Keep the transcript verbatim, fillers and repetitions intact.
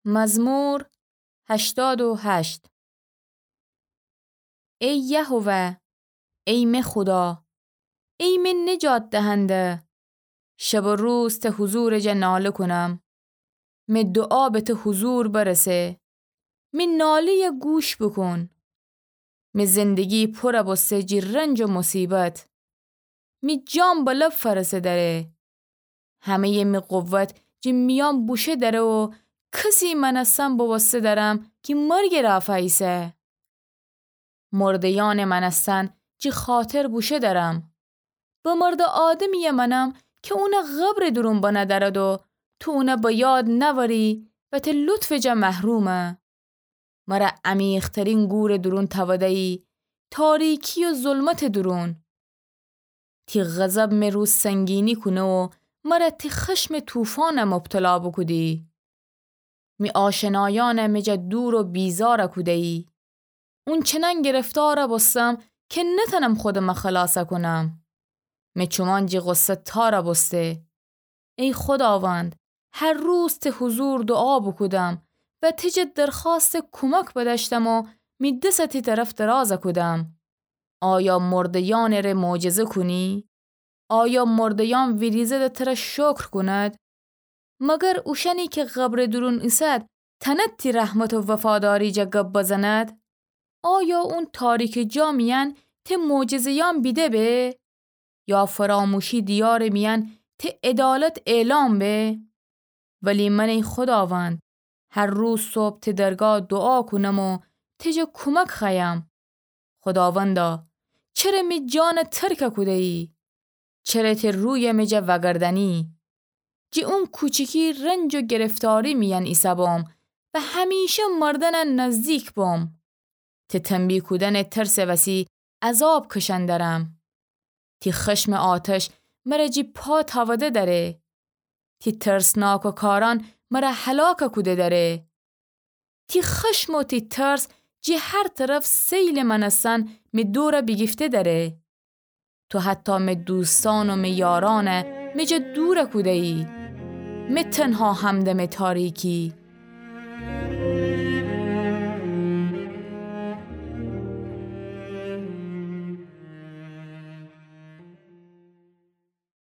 مزمور هشتاد و هشت. ای یهوه، ای می خودا، ای می نجات دهنده، شب و روز ته حضورٚ جا ناله کونم. می دوعا به ته حضور برسه. می ناله‌یه گوش بوکون. می زندگی پوره بوسته جی رنج و مصیبت. می جان به لب فرسه دره. همه‌یٚ می قوت جی میان بوشه دره و کسی مأنستن بوسته درم کی مرگٚ رافا ایسه. مرده‌یأنٚ مأنستن جی خاطر بوشه درم. بمرده آدمی‌یٚ مأنم کی اونه قبرٚ دورون بنه درد و تو اونه به یاد نأوری و ته لطفٚ جا محرومه. مره عمیق‌ترین گورٚ دورون تأوده‌یی، تاریکی و ظلمتٚ دورون. تی غضب می رو سنگینی کونه و مره تی خشمٚ طوفان مبتلا بوکودی. می آشنایأن می جا دور و بیزار کوده‌یی. اونچنان گرفتار بوستم کی نتأنم خودم خلاص کونم. می چومان جی غصه تار بوسته. ای خوداوند، هر روز تی حضور دوعا بوکودم و تی جا درخواستٚ کومک بدأشتم و می دس تی طرف دراز کودم. آیا مرده‌یأنٚ ره معجزه کونی؟ آیا مرده‌یأن ویریزد و تره شکر کونید؟ مگر اوشأنی کی قبرٚ دورون ایسد تأند تی رحمت و وفاداری جا گب بزند؟ آیا اون تاریکٚ جا میأن تی معجزه‌یأن بیده به؟ یا فراموشی دیارٚ میأن تی عدالت اعلام به؟ ولی من ای خوداوند، هر روز صبح تی درگاه دوعا کونم و تی جا کومک خوأیم. خوداوندا، چره می جان ترک کوده‌یی؟ چره تی روی می جا وأگردأنی؟ جی اون کوچیکی رنج و گرفتاری میأن ایسه‌بوم و همیشه مردنٚ نزدیک بوم. تی تنبیه کودنٚ ترسٚ وسی عذاب کشأن درم. تی خشمٚ آتش مره جی پا تأوده دره. تی ترسناکٚ کارأن مره هلاک کوده دره. تی خشم و تی ترس جی هر طرف سیلٚ مأنستن می دور بیگیفته دره. تو حتی می دوستأن و می یارأن می جا دور کوده‌یی. می تنها همدمٚ تاریکی.